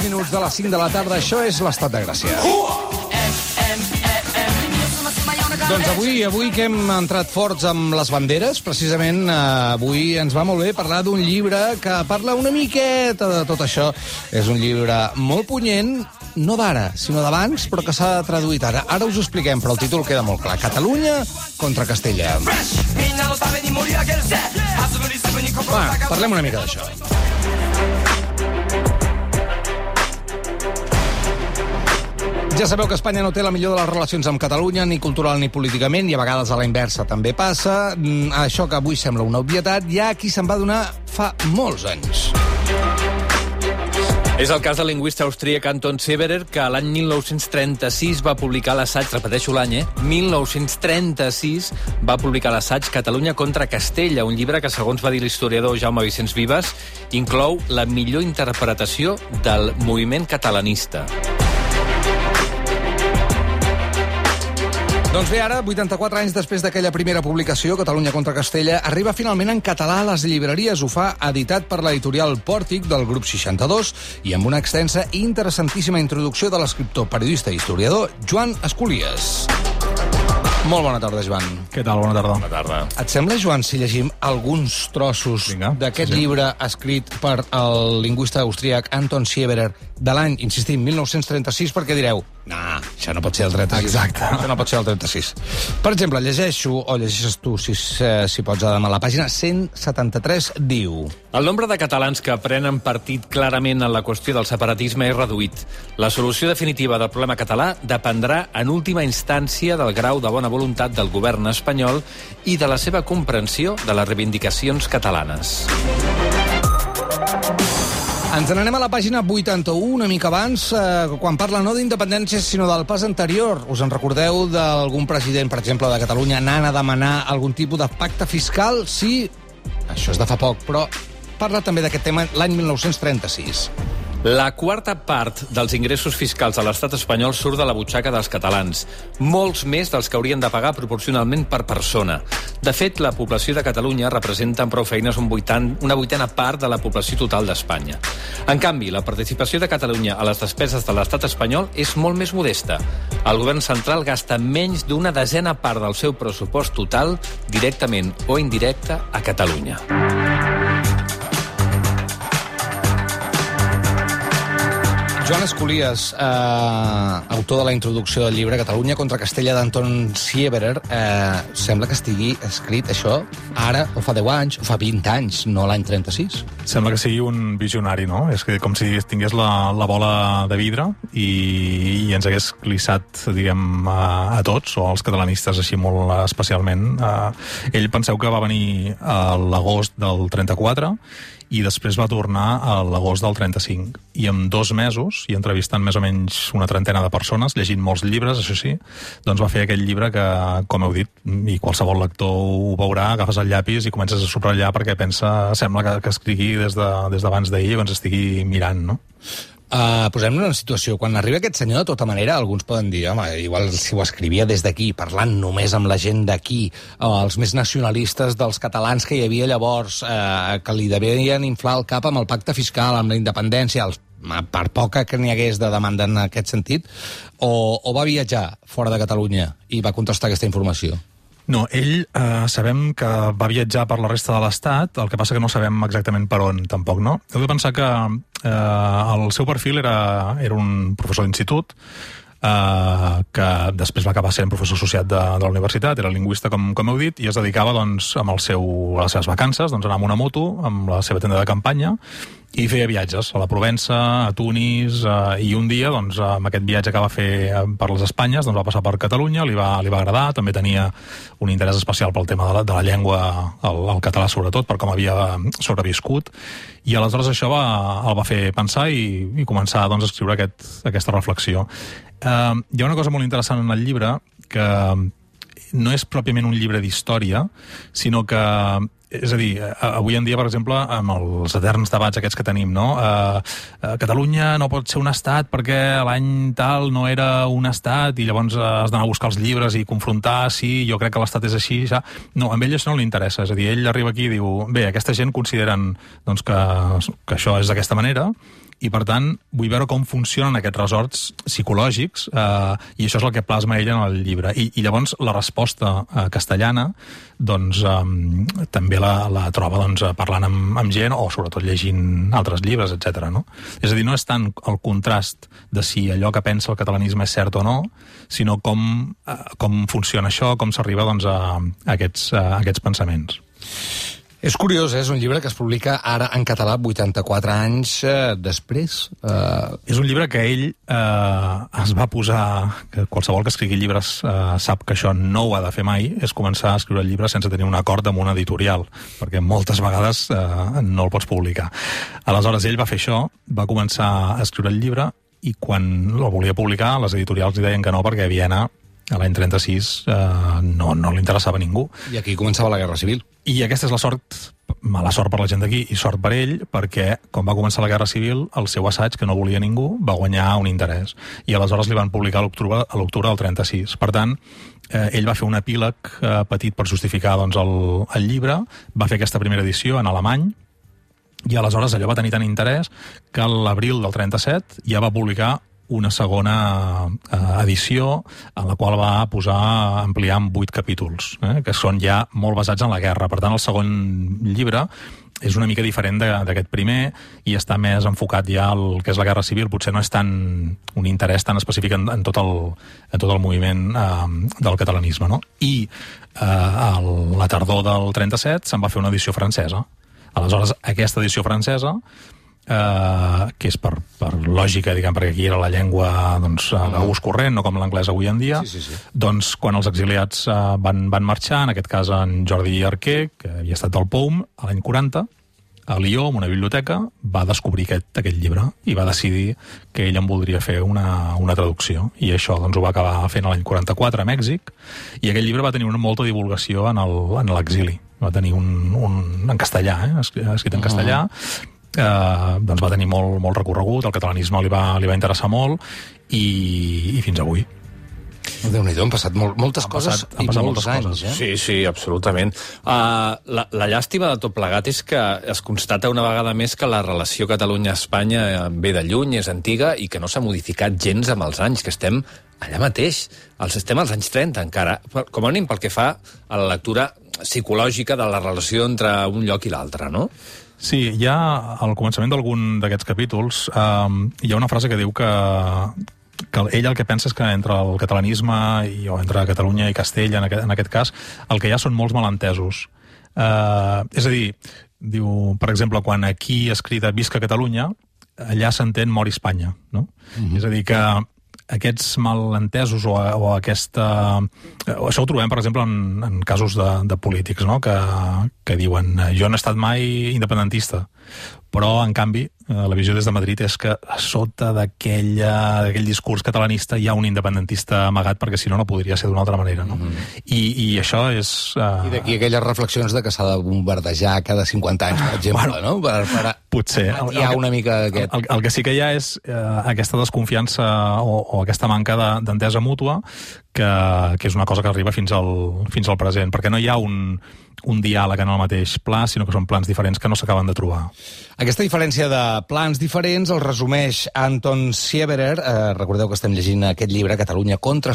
minuts de les 5 de la tarda. Això és l'Estat de Gràcia. Doncs avui que hem entrat forts amb les banderes, precisament avui ens va molt bé parlar d'un llibre que parla una miqueta de tot això. És un llibre molt punyent, no d'ara, sinó d'abans, però que s'ha traduït ara. Ara us ho expliquem, però el títol queda molt clar. Catalunya contra Castella. Va, parlem una mica d'això. Ja sabeu que Espanya no té la millor de les relacions amb Catalunya, ni cultural ni políticament, i a vegades a la inversa també passa. Això que avui sembla una obvietat, hi ha qui se'n va donar fa molts anys. És el cas del lingüista austríac Anton Severer, que l'any 1936 va publicar l'assaig, repeteixo l'any, 1936 va publicar l'assaig Catalunya contra Castella, un llibre que, segons va dir l'historiador Jaume Vicenç Vives, inclou la millor interpretació del moviment catalanista. Doncs bé, ara, 84 anys després d'aquella primera publicació, Catalunya contra Castella, arriba finalment en català a les llibreries. Ho fa editat per l'editorial Pòrtic del grup 62 i amb una extensa i interessantíssima introducció de l'escriptor, periodista i historiador Joan Esculies. Molt bona tarda, Joan. Què tal? Bona tarda. Bona tarda. Et sembla, Joan, si llegim alguns trossos d'aquest llibre escrit per el lingüista austríac Anton Severer de l'any, insistim, 1936, perquè direu, això no pot ser el 36. Exacte. Això no pot ser el 36. Per exemple, llegeixo, o llegeixes tu, si pots, Adam, a la pàgina 173, diu... El nombre de catalans que prenen partit clarament en la qüestió del separatisme és reduït. La solució definitiva del problema català dependrà en última instància del grau de bona voluntat del govern espanyol i de la seva comprensió de les reivindicacions catalanes. Ens n'anem a la pàgina 81, una mica abans, quan parla no d'independència, sinó del pas anterior. Us en recordeu d'algun president, per exemple, de Catalunya, anant a demanar algun tipus de pacte fiscal? Sí, això és de fa poc, però parla també d'aquest tema l'any 1936. La quarta part dels ingressos fiscals a l'estat espanyol surt de la butxaca dels catalans, molts més dels que haurien de pagar proporcionalment per persona. De fet, la població de Catalunya representa amb prou feines una vuitena part de la població total d'Espanya. En canvi, la participació de Catalunya a les despeses de l'estat espanyol és molt més modesta. El govern central gasta menys d'una desena part del seu pressupost total, directament o indirecte, a Catalunya. Joan Esculies, autor de la introducció del llibre Catalunya contra Castella d'Anton Severer, sembla que estigui escrit això ara, o fa 10 anys, o fa 20 anys, no l'any 36. Sembla que sigui un visionari, no? És que com si tingués la bola de vidre i ens hagués clissat, diguem, a tots, o als catalanistes així molt especialment. Ell, penseu que va venir a l'agost del 34 i després va tornar a l'agost del 35. I en 2 mesos, i entrevistant més o menys una trentena de persones, llegint molts llibres, això sí, doncs va fer aquell llibre que, com heu dit, i qualsevol lector ho veurà, agafes el llapis i comences a subratllar perquè sembla que escrigui des d'abans d'ahir i que ens estigui mirant, no? Posem-nos en situació. Quan arriba aquest senyor, de tota manera, alguns poden dir, home, igual si ho escrivia des d'aquí, parlant només amb la gent d'aquí, els més nacionalistes dels catalans que hi havia llavors, que li devien inflar el cap amb el pacte fiscal, amb la independència, per poca que n'hi hagués de demanda en aquest sentit, o va viatjar fora de Catalunya i va contrastar aquesta informació? No, ell sabem que va viatjar per la resta de l'Estat, el que passa que no sabem exactament per on, tampoc, no? Heu de pensar que el seu perfil era un professor d'institut, que després va acabar sent professor associat de la universitat, era lingüista, com heu dit, i es dedicava, doncs, a les seves vacances, doncs, anar amb una moto, amb la seva tenda de campanya, i feia viatges a la Provença, a Tunis, i un dia, doncs, amb aquest viatge que va fer per les Espanyes, doncs va passar per Catalunya, li va agradar, també tenia un interès especial pel tema de la llengua, el català sobretot, per com havia sobreviscut, i aleshores això el va fer pensar i començar, doncs, a escriure aquesta reflexió. Hi ha una cosa molt interessant en el llibre, que no és pròpiament un llibre d'història, sinó que És a dir, avui en dia, per exemple, amb els eterns debats aquests que tenim, no? Catalunya no pot ser un estat perquè l'any tal no era un estat i llavors has d'anar a buscar els llibres i confrontar, sí, jo crec que l'estat és així, ja. No, a ell això no li interessa, és a dir, ell arriba aquí i diu, bé, aquesta gent consideren doncs, que això és d'aquesta manera i per tant vull veure com funcionen aquests resorts psicològics, i això és el que plasma ell en el llibre. I llavors la resposta castellana doncs, també la troba doncs, parlant amb gent o sobretot llegint altres llibres, etc. No? És a dir, no és tant el contrast de si allò que pensa el catalanisme és cert o no, sinó com funciona això, com s'arriba doncs, a aquests pensaments. És curiós, és un llibre que es publica ara en català 84 anys després. És un llibre que ell es va posar, que qualsevol que escrigui llibres sap que això no ho ha de fer mai, és començar a escriure el llibre sense tenir un acord amb una editorial, perquè moltes vegades no el pots publicar. Aleshores, ell va fer això, va començar a escriure el llibre, i quan el volia publicar, les editorials li deien que no, perquè a Viena, a l'any 36, no li interessava a ningú. I aquí començava la Guerra Civil. I aquesta és la sort, mala sort per la gent d'aquí i sort per ell, perquè quan va començar la Guerra Civil, el seu assaig, que no volia ningú, va guanyar un interès. I aleshores li van publicar a l'octubre del 36. Per tant, ell va fer un epíleg petit per justificar doncs, el llibre, va fer aquesta primera edició en alemany, i aleshores allò va tenir tant interès que a l'abril del 37 ja va publicar una segona edició en la qual va ampliar en 8 capítols, que són ja molt basats en la guerra. Per tant, el segon llibre és una mica diferent d'aquest primer i està més enfocat ja al que és la Guerra Civil. Potser no és tant un interès tan específic en tot el moviment del catalanisme. No? I a la tardor del 37 se'n va fer una edició francesa. Aleshores, aquesta edició francesa, que és per lògica, diguem, perquè aquí era la llengua d'ús corrent, no com l'anglès avui en dia, sí. Doncs quan els exiliats van marxar, en aquest cas en Jordi Arquer, que havia estat al POUM a l'any 40, a Lió, en una biblioteca, va descobrir aquest llibre i va decidir que ell en voldria fer una traducció. I això doncs, ho va acabar fent l'any 44 a Mèxic, i aquest llibre va tenir molta divulgació en l'exili. Va tenir un en castellà, escrit en castellà, doncs va tenir molt recorregut, el catalanisme li va interessar molt, i fins avui. Déu-n'hi-do, han passat moltes coses i molts anys. Sí, absolutament. La llàstima de tot plegat és que es constata una vegada més que la relació Catalunya-Espanya ve de lluny, és antiga, i que no s'ha modificat gens amb els anys, que estem allà mateix. Estem als anys 30 encara, com a mínim pel que fa a la lectura psicològica de la relació entre un lloc i l'altre, no? Sí, ja al començament d'algun d'aquests capítols hi ha una frase que diu que ell el que pensa és que entre el catalanisme o entre Catalunya i Castella, en aquest cas, el que hi ha són molts malentesos. És a dir, diu, per exemple, quan aquí es crida Visca Catalunya, allà s'entén Mori Espanya, no? És a dir, que aquests malentesos o aquesta... Això ho trobem, per exemple, en casos de polítics, no? Que diuen jo no he estat mai independentista, però, en canvi, la visió des de Madrid és que a sota d'aquell discurs catalanista hi ha un independentista amagat, perquè si no, no podria ser d'una altra manera. No? I això és... I d'aquí aquelles reflexions de que s'ha de bombardejar cada 50 anys, per exemple, no? Potser. Hi ha una mica d'aquest... El que sí que hi ha és aquesta desconfiança o aquesta manca d'entesa mútua, que és una cosa que arriba fins al present, perquè no hi ha un diàleg en el mateix pla, sinó que són plans diferents que no s'acaben de trobar. Aquesta diferència de plans diferents el resumeix Anton Sieberer. Recordeu que estem llegint aquest llibre, Catalunya contra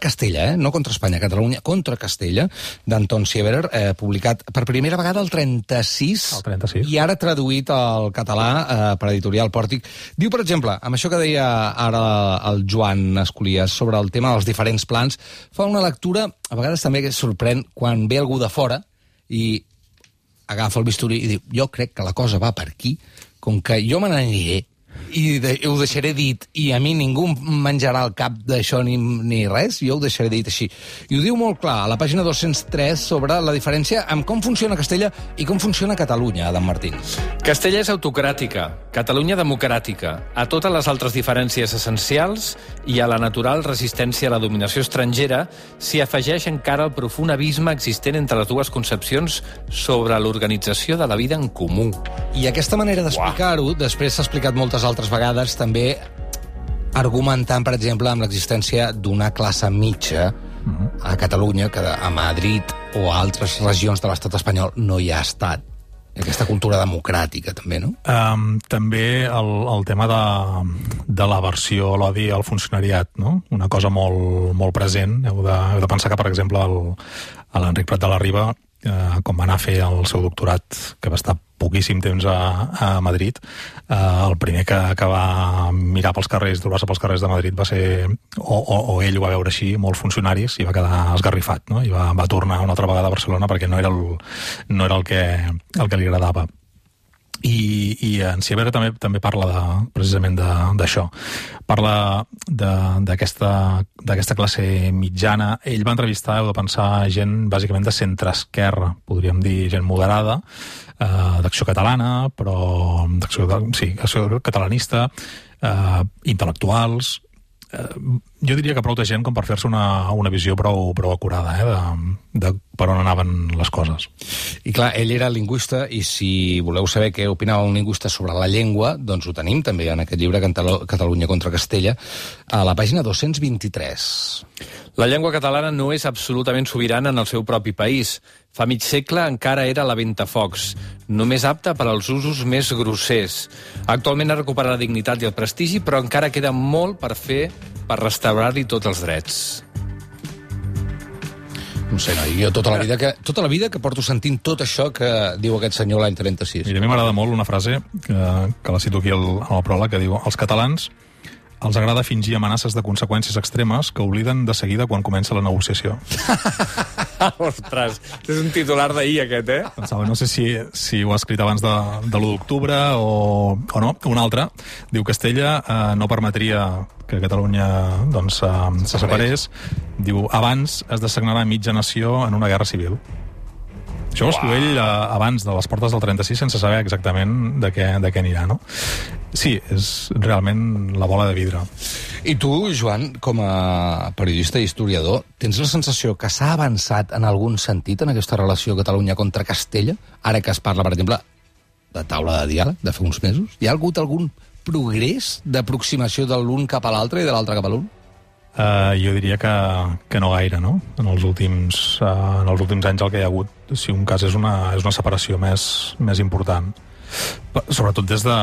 Castella, no contra Espanya, Catalunya contra Castella, d'Anton Sieberer, publicat per primera vegada el 36, i ara traduït al català per editorial Pòrtic. Diu, per exemple, amb això que deia ara el Joan Escolies sobre el tema dels diferents plans, fa una lectura, a vegades també que sorprèn, quan ve algú de fora i agafa el bisturí i diu, jo crec que la cosa va per aquí, com que jo me n'aniré i ho deixaré dit i a mi ningú menjarà el cap d'això ni res, jo ho deixaré dit així. I ho diu molt clar a la pàgina 203 sobre la diferència amb com funciona Castella i com funciona Catalunya, Adam Martín. Castella és autocràtica, Catalunya democràtica. A totes les altres diferències essencials i a la natural resistència a la dominació estrangera s'hi afegeix encara el profund abisme existent entre les dues concepcions sobre l'organització de la vida en comú. I aquesta manera d'explicar-ho, després s'ha explicat moltes altres vegades, també argumentant, per exemple, amb l'existència d'una classe mitja a Catalunya, que a Madrid o a altres regions de l'estat espanyol no hi ha estat. Aquesta cultura democràtica, també, no? També el tema de l'aversió, l'odi al funcionariat, no? Una cosa molt present. Heu de pensar que, per exemple, l'Enric Prat de la Riba, com va anar a fer el seu doctorat, que va estar poquíssim temps a Madrid, el primer que va mirar pels carrers, trobar-se pels carrers de Madrid va ser, o ell ho va veure així, molts funcionaris, i va quedar esgarrifat, no? I va tornar una altra vegada a Barcelona perquè no era el que li agradava. I en Sieber també parla precisament d'això. Parla d'aquesta classe mitjana. Ell va entrevistar, heu de pensar, gent bàsicament de centre-esquerra, podríem dir gent moderada, d'Acció Catalana, però d'acció catalanista, intel·lectuals. Jo diria que prou de gent com per fer-se una visió prou acurada de per on anaven les coses. I clar, ell era lingüista, i si voleu saber què opinava un lingüista sobre la llengua, doncs ho tenim també en aquest llibre Catalunya contra Castella, a la pàgina 223. La llengua catalana no és absolutament sobirana en el seu propi país. Fa mig segle encara era la ventafocs, només apta per als usos més grossers. Actualment ha recuperat la dignitat i el prestigi, però encara queda molt per fer per restaurar-li tots els drets. No sé, jo tota la vida que porto sentint tot això que diu aquest senyor l'any 36. Mira, a mi m'agrada molt una frase que la cito aquí en el pròleg, que diu: els catalans els agrada fingir amenaces de conseqüències extremes que obliden de seguida quan comença la negociació. Ostres, és un titular d'ahir aquest, eh? Pensava, no sé si ho ha escrit abans de l'1 d'octubre o no. Un altre diu: Castella no permetria que Catalunya doncs, se separés. Diu: abans es dessagnarà mitja nació en una guerra civil. Això ho escriu ell abans de les portes del 36, sense saber exactament de què anirà, no? Sí, és realment la bola de vidre. I tu, Joan, com a periodista i historiador, tens la sensació que s'ha avançat en algun sentit en aquesta relació Catalunya contra Castella? Ara que es parla, per exemple, de taula de diàleg de fa uns mesos. Hi ha hagut algun progrés d'aproximació de l'un cap a l'altre i de l'altre cap a l'un? Jo diria que no gaire, no? En els últims anys el que hi ha hagut, si un cas, és una separació més important. Sobretot des de...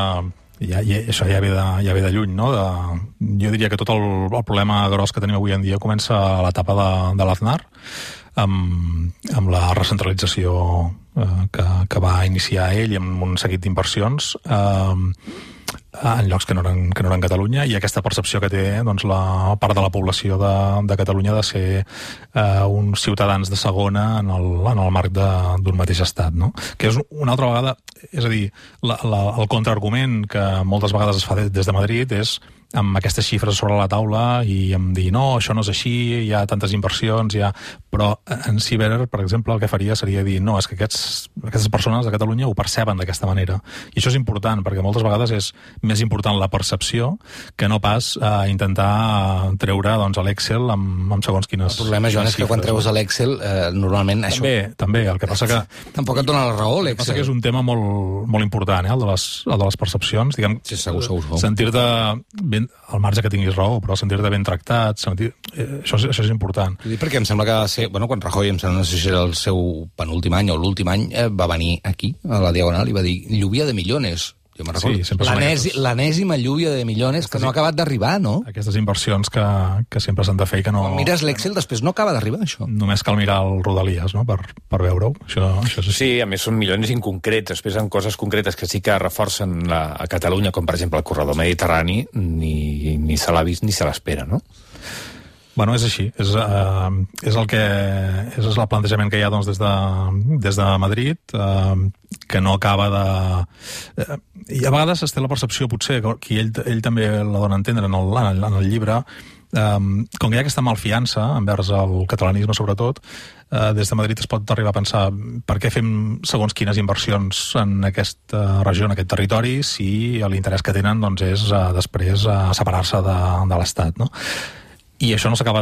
això ja ve de lluny, no? Jo diria que tot el problema gros que tenim avui en dia comença a l'etapa de l'Aznar, amb la recentralització que va iniciar ell i amb un seguit d'inversions en llocs que no eren Catalunya, i aquesta percepció que té doncs, la part de la població de Catalunya de ser uns ciutadans de segona en el marc d'un mateix estat, no? Que és una altra vegada, és a dir, el contraargument que moltes vegades es fa des de Madrid és amb aquestes xifres sobre la taula i amb dir, no, això no és així, hi ha tantes inversions, però en Sieber, per exemple, el que faria seria dir, no, és que aquestes persones de Catalunya ho perceben d'aquesta manera. I això és important, perquè moltes vegades és més important la percepció que no pas intentar treure doncs, a l'Excel amb segons quines... El problema, Joan, és que quan treus a l'Excel, normalment això... També, el que passa que... Tampoc et dona la raó, l'Excel. El que passa que és un tema molt important, el de les percepcions. Diguem, sí, segur. Sentir-te ben, al marge que tinguis raó, però sentir-te ben tractat, això és important. Perquè em sembla que va ser... Bueno, quan Rajoy, em sembla, no sé si era el seu penúltim any o l'últim any, va venir aquí, a la Diagonal, i va dir lluvia de millones. Jo me'n recordo. Sí, l'enèsima lluvia de millones que no ha acabat d'arribar, no? Aquestes inversions que sempre s'han de fer i que no... Quan mires l'Excel, després no acaba d'arribar, això. Només cal mirar el Rodalies, no?, per veure-ho. Això és així. Sí, a més són milions inconcrets, després en coses concretes que sí que reforcen a Catalunya, com per exemple el corredor mediterrani, ni se l'ha vist ni se l'espera, no? Bueno, és així. És el plantejament que hi ha doncs, des de Madrid, que no acaba de... I a vegades es té la percepció, potser, que ell també la dona a entendre en el llibre, com que hi ha aquesta malfiança envers el catalanisme, sobretot, des de Madrid es pot arribar a pensar per què fem segons quines inversions en aquesta regió, en aquest territori, si l'interès que tenen doncs, és després separar-se de l'Estat, no? I això no s'acaba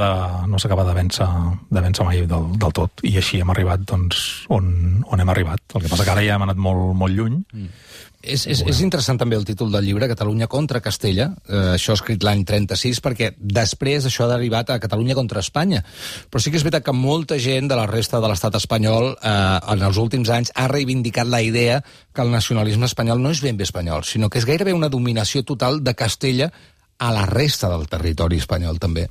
de vèncer mai del tot. I així hem arribat doncs, on hem arribat. El que passa que ara ja hem anat molt lluny. És interessant també el títol del llibre, Catalunya contra Castella, això escrit l'any 36, perquè després això ha derivat a Catalunya contra Espanya. Però sí que és veritat que molta gent de la resta de l'estat espanyol en els últims anys ha reivindicat la idea que el nacionalisme espanyol no és ben bé espanyol, sinó que és gairebé una dominació total de Castella a la resta del territori espanyol, també.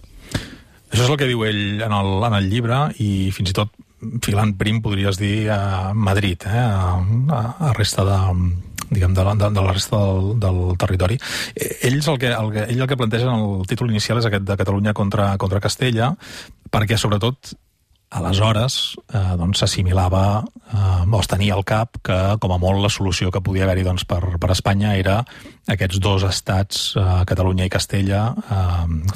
Això és el que diu ell en el llibre, i fins i tot filant prim podries dir a Madrid, a resta de la resta del territori. Ells el que plantegen en el títol inicial és aquest de Catalunya contra Castella, perquè sobretot aleshores s'assimilava o es tenia al cap que com a molt la solució que podia haver-hi per Espanya era aquests dos estats, Catalunya i Castella,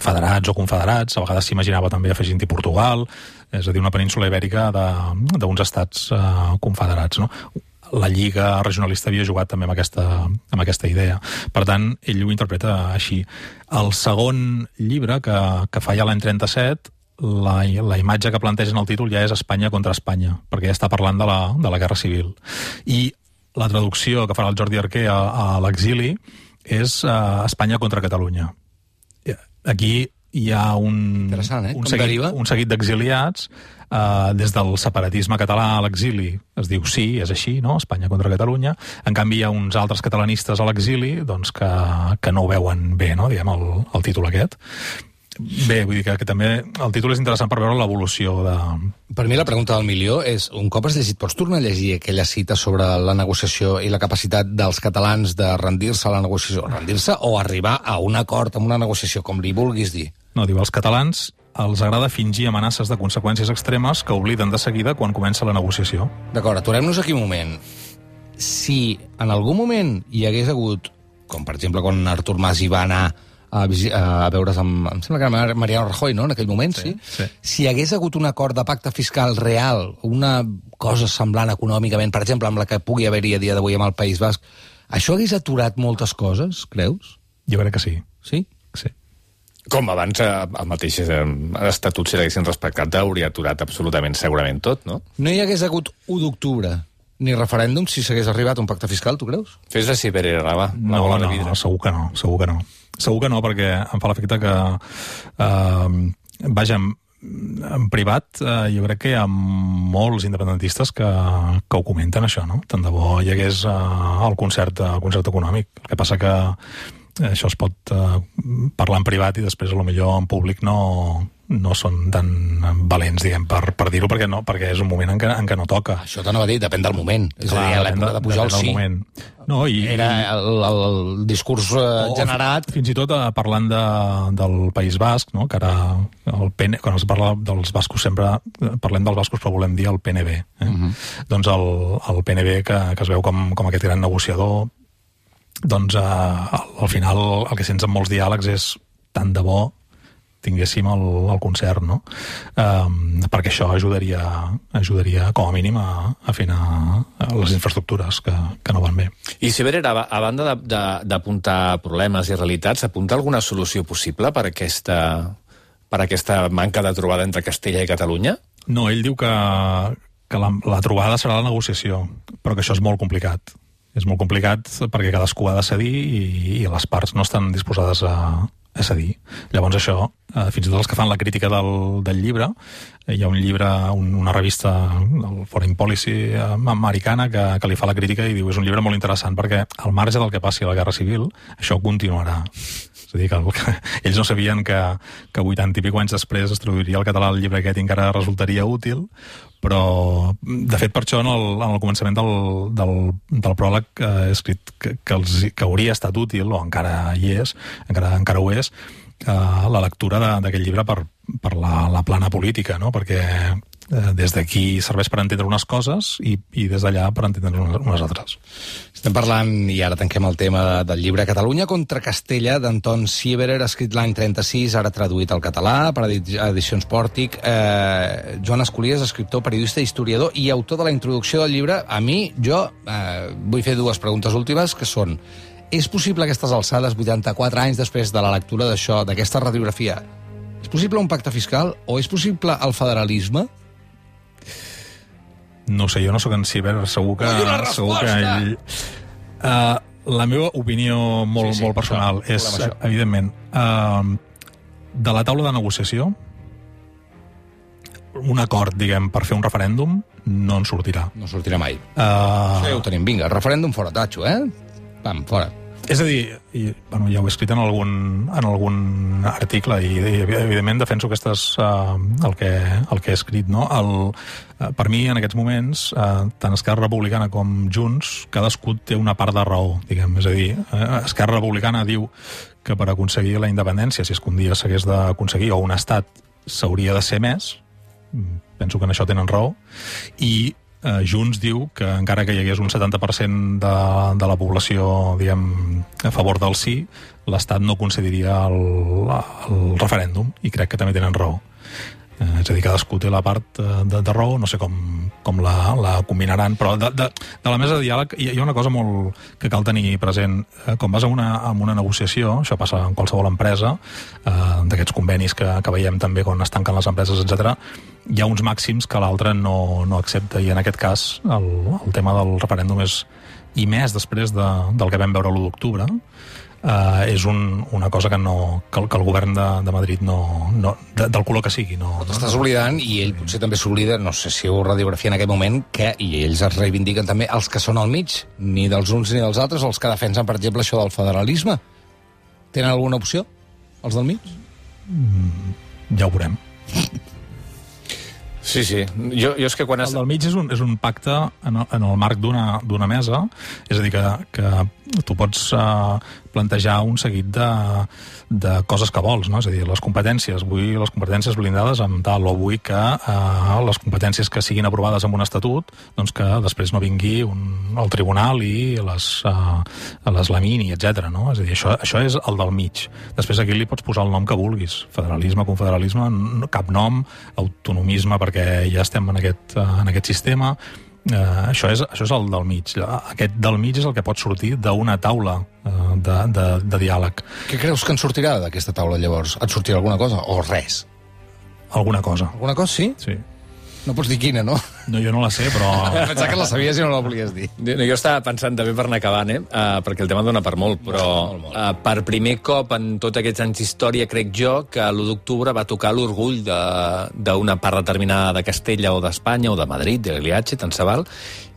federats o confederats. A vegades s'imaginava també afegint-hi Portugal, és a dir, una península ibèrica d'uns estats confederats, no? La Lliga Regionalista havia jugat també amb aquesta idea. Per tant, ell ho interpreta així. El segon llibre, que fa ja l'any 37, la imatge que planteja en el títol ja és Espanya contra Espanya, perquè ja està parlant de la Guerra Civil. I la traducció que farà el Jordi Arquer a l'exili és Espanya contra Catalunya. Aquí hi ha un seguit d'exiliats des del separatisme català a l'exili. Es diu sí, és així, no? Espanya contra Catalunya. En canvi, hi ha uns altres catalanistes a l'exili que no ho veuen bé, no? Diguem, el títol aquest. Bé, vull dir que també el títol és interessant per veure l'evolució de... Per mi la pregunta del milió és, un cop has llegit, pots tornar a llegir aquella cita sobre la negociació i la capacitat dels catalans de rendir-se a la negociació, rendir-se o arribar a un acord amb una negociació, com li vulguis dir? No, diu, als catalans els agrada fingir amenaces de conseqüències extremes que obliden de seguida quan comença la negociació. D'acord, aturem-nos aquí un moment. Si en algun moment hi hagués hagut, com per exemple quan Artur Mas hi va anar a veure's amb... Em sembla que era Mariano Rajoy, no?, en aquell moment, sí? Si hi hagués hagut un acord de pacte fiscal real, una cosa semblant econòmicament, per exemple, amb la que pugui haver-hi a dia d'avui amb el País Basc, això hagués aturat moltes coses, creus? Jo crec que sí. Sí? Sí. Com abans el mateix estatut, si l'haguessin respectat, hauria aturat absolutament segurament tot, no? No hi hagués hagut 1 d'octubre ni referèndum si s'hagués arribat a un pacte fiscal, tu creus? Fes així, Pere Raba. No, segur que no. Segur que no, perquè em fa l'efecte que vaja, en privat jo crec que hi ha molts independentistes que ho comenten, això, no? Tant de bo hi hagués el concert econòmic. El que passa que això es pot parlar en privat i després a lo millor en públic no són tan valents, diguem, per dir-ho, perquè és un moment en què no toca. Això t'anava a dir, depèn del moment. És a dir, a l'època de Pujol sí. No, era el discurs generat... Fins i tot parlant del País Basc, no? Que ara quan es parla dels bascos sempre parlem dels bascos però volem dir el PNB. Doncs el PNB que es veu com aquest gran negociador, doncs al final el que sents en molts diàlegs és tant de bo tinguéssim el concert, no? Perquè això ajudaria com a mínim a afinar les infraestructures que no van bé. I si a banda d'apuntar problemes i realitats, apunta alguna solució possible per aquesta manca de trobada entre Castella i Catalunya? No, ell diu que la trobada serà la negociació, però que això és molt complicat. És molt complicat perquè cadascú ha de cedir i les parts no estan disposades a cedir. Llavors això, fins i tot els que fan la crítica del llibre, hi ha un llibre, una revista, el Foreign Policy americana, que li fa la crítica i diu és un llibre molt interessant perquè al marge del que passi a la Guerra Civil, això continuarà. És a dir, que ells no sabien que 80 i pico anys després es traduiria al català el llibre aquest i encara resultaria útil, però de fet per això en el començament del pròleg he escrit que hauria estat útil, o encara hi és, encara ho és, la lectura d'aquest llibre per la plana política, no? Perquè des d'aquí serveix per entendre unes coses i des d'allà per entendre unes altres. Estem parlant, i ara tanquem el tema del llibre Catalunya contra Castella, d'Anton Sieberer, escrit l'any 36, ara traduït al català per Edicions Pòrtic. Joan Escolies, escriptor, periodista, historiador i autor de la introducció del llibre. A mi, vull fer 2 preguntes últimes, que són: és possible a aquestes alçades, 84 anys després de la lectura d'això, d'aquesta radiografia, És possible un pacte fiscal o és possible el federalisme? No sé, jo no sóc en Ciber, segur que ell... La meva opinió molt personal és, evidentment, de la taula de negociació, un acord, diguem, per fer un referèndum no en sortirà. No sortirà mai. Això ja ho tenim. Vinga, referèndum fora, tatxo, Pam, fora. És a dir, ja ho he escrit en algun article i evidentment defenso el que he escrit, no? Per mi, en aquests moments, tant Esquerra Republicana com Junts, cadascú té una part de raó, diguem. És a dir, Esquerra Republicana diu que per aconseguir la independència, si és que un dia s'hagués d'aconseguir, o un estat, s'hauria de ser més. Penso que en això tenen raó. I Junts diu que encara que hi hagués un 70% de la població, diguem, a favor del sí, l'Estat no concediria el referèndum, i crec que també tenen raó. És a dir, cadascú té la part de raó, no sé com la combinaran, però de la mesa de diàleg hi ha una cosa molt que cal tenir present. Quan vas a una negociació, això passa en qualsevol empresa, d'aquests convenis que veiem també quan es tanquen les empreses, etc., hi ha uns màxims que l'altre no accepta, i en aquest cas el tema del referèndum és, i més després del que vam veure l'1 d'octubre, és una cosa que el govern de Madrid del color que sigui t'estàs oblidant, i ell potser també s'oblida, no sé si ho radiografia en aquest moment, i ells es reivindiquen també els que són al mig, ni dels uns ni dels altres, els que defensen, per exemple, això del federalisme. Tenen alguna opció, els del mig? Ja ho veurem. Sí. Jo és que quan el del mig és un pacte en el marc d'una mesa, és a dir, que tu pots plantejar un seguit de coses que vols, no? És a dir, les competències, vull les competències blindades amb tal, o vull que les competències que siguin aprovades amb un estatut, doncs que després no vingui el tribunal i les lamini, etc. No? És a dir, això és el del mig. Després aquí li pots posar el nom que vulguis, federalisme, confederalisme, cap nom, autonomisme, perquè ja estem en aquest sistema. Això és el del mig. Aquest del mig és el que pot sortir d'una taula de diàleg. Què creus que en sortirà d'aquesta taula, llavors? Et sortirà alguna cosa o res? Alguna cosa. Alguna cosa, sí? Sí. No pots dir quina, no? No, jo no la sé, però... Pensava que la sabies i no la volies dir. Jo estava pensant també per anar acabant, perquè el tema dona per molt, però molt. Per primer cop en tots aquests anys d'història, crec jo, que l'1 d'octubre va tocar l'orgull d'una part determinada de Castella o d'Espanya o de Madrid, de l'Iliatge, tant se val,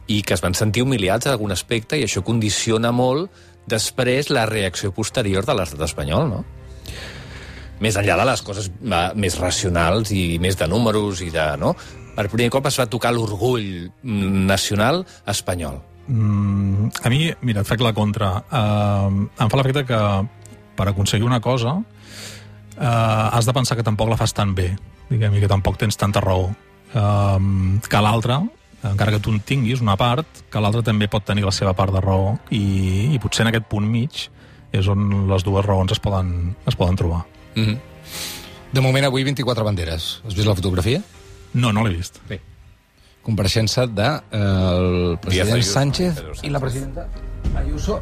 i que es van sentir humiliats en algun aspecte, i això condiciona molt després la reacció posterior de l'estat espanyol, no? Més enllà de les coses més racionals i més de números i de... no? Per primer cop es va tocar l'orgull nacional espanyol. A mi, mira, et faig la contra. Em fa l'efecte que per aconseguir una cosa has de pensar que tampoc la fas tan bé, diguem, i que tampoc tens tanta raó. Que l'altra, encara que tu en tinguis una part, que l'altra també pot tenir la seva part de raó, i potser en aquest punt mig és on les dues raons es poden trobar. De moment, avui 24 banderes. Has vist la fotografia? No l'he vist. Bé. Compareixença del president Sánchez i la presidenta Ayuso.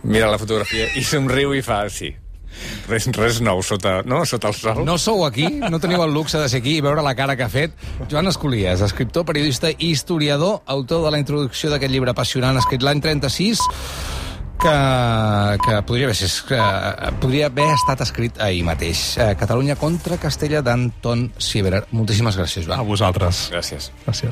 Mira la fotografia i somriu i fa, sí. Res nou sota el sol. No sou aquí, no teniu el luxe de ser aquí i veure la cara que ha fet Joan Escolies, escriptor, periodista i historiador, autor de la introducció d'aquest llibre apassionant escrit l'any 36, que podria haver estat escrit ahir mateix. Catalunya contra Castella, d'Anton Sieberer. Moltíssimes gràcies, Joan. A vosaltres. Gràcies. Gràcies.